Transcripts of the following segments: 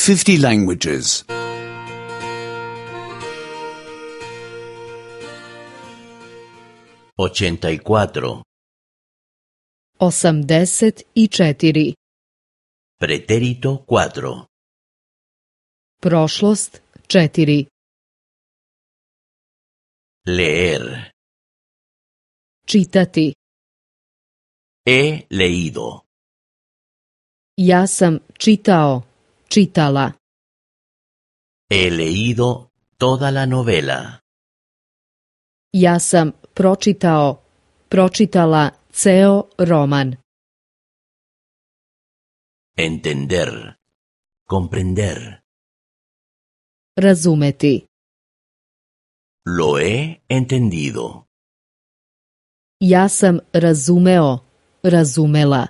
50 languages. 84. 84. Pretérito 4. Prošlost 4. Leer. Čitati. He leído. Ja sam čitao, čitala. He leído toda la novela. Ja sam pročitao, pročitala ceo roman. Entender. Comprender. Razumeti. Lo he entendido. Ja sam razumeo, razumela.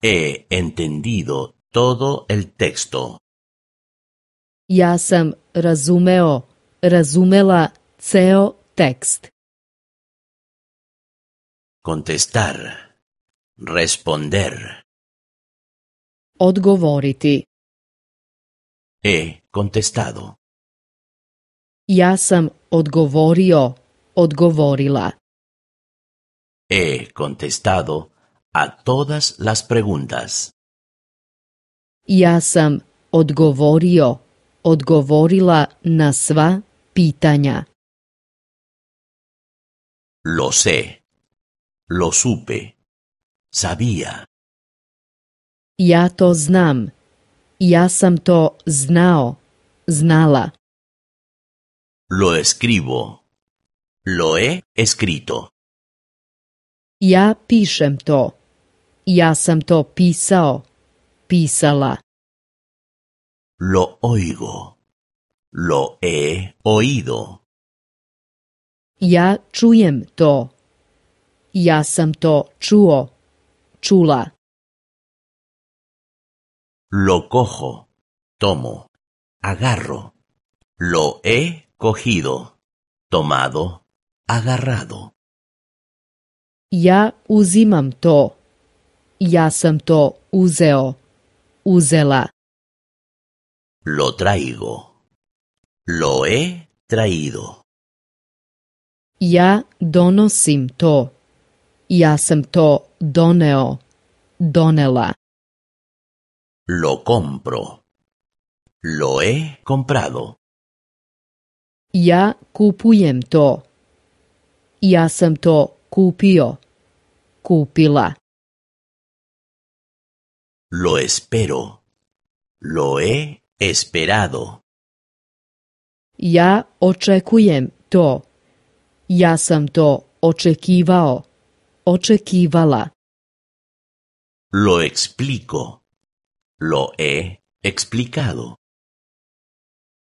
He entendido todo el texto. Ja sam razumeo, razumela ceo tekst. Contestar. Responder. Odgovoriti. He contestado. Ja sam odgovorio, odgovorila. He contestado a todas las preguntas. Ja sam odgovorio, odgovorila na sva pitanja. Lo sé. Lo supe. Sabía. Ja to znam. Ja sam to znao, znala. Lo escribo. Lo he escrito. Ja pišem to. Ja sam to pisao, pisala. Lo oigo. Lo he oído. Ja čujem to. Ja sam to čuo, čula. Lo cojo. Tomo. Agarro. Lo he cogido. Tomado. Agarrado. Ja uzimam to. Ja sam to uzeo, uzela. Lo traigo. Lo he traído. Ja donosim to. Ja sam to doneo, donela. Lo compro. Lo he comprado. Ja kupujem to. Ja sam to kupio, kupila. Lo espero. Lo he esperado. Ja očekujem to. Ja sam to očekivao, očekivala. Lo explico. Lo he explicado.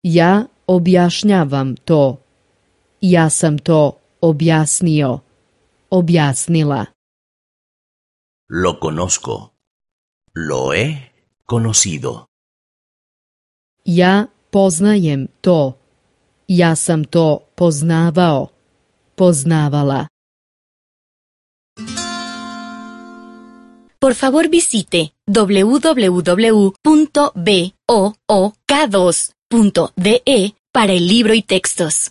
Ja objašnjavam to. Ja sam to objasnio, objasnila. Lo conozco. Lo he conocido. Ja poznajem to. Ja sam to poznavao, poznavala. Por favor visite www.book2.de para el libro y textos.